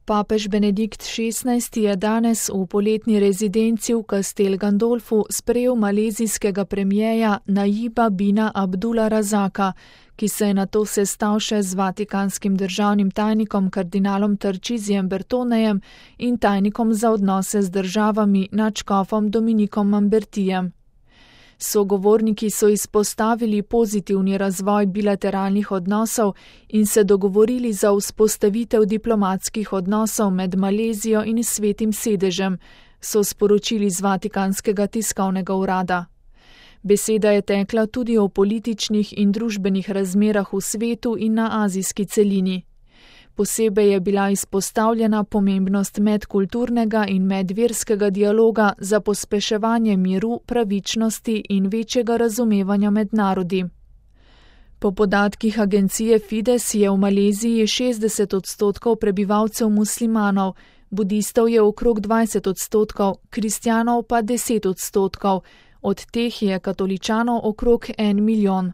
Papež Benedikt XVI je danes v poletni rezidenci v Castel Gandolfu sprejel malezijskega premierja Najiba bina Abdula Razaka, ki se je nato sestal še z vatikanskim državnim tajnikom kardinalom Tarčizijem Bertonejem in tajnikom za odnose z državami nadškofom Dominikom Mambertijem. Sogovorniki so izpostavili pozitivni razvoj bilateralnih odnosov in se dogovorili za vzpostavitev diplomatskih odnosov med Malezijo in Svetim sedežem, so sporočili z Vatikanskega tiskovnega urada. Beseda je tekla tudi o političnih in družbenih razmerah v svetu in na azijski celini. Posebej je bila izpostavljena pomembnost medkulturnega in medverskega dialoga za pospeševanje miru, pravičnosti in večjega razumevanja med narodi. Po podatkih agencije Fides je v Maleziji 60% prebivalcev muslimanov, budistov je okrog 20%, kristjanov pa 10%, od teh je katoličanov okrog 1 milijon.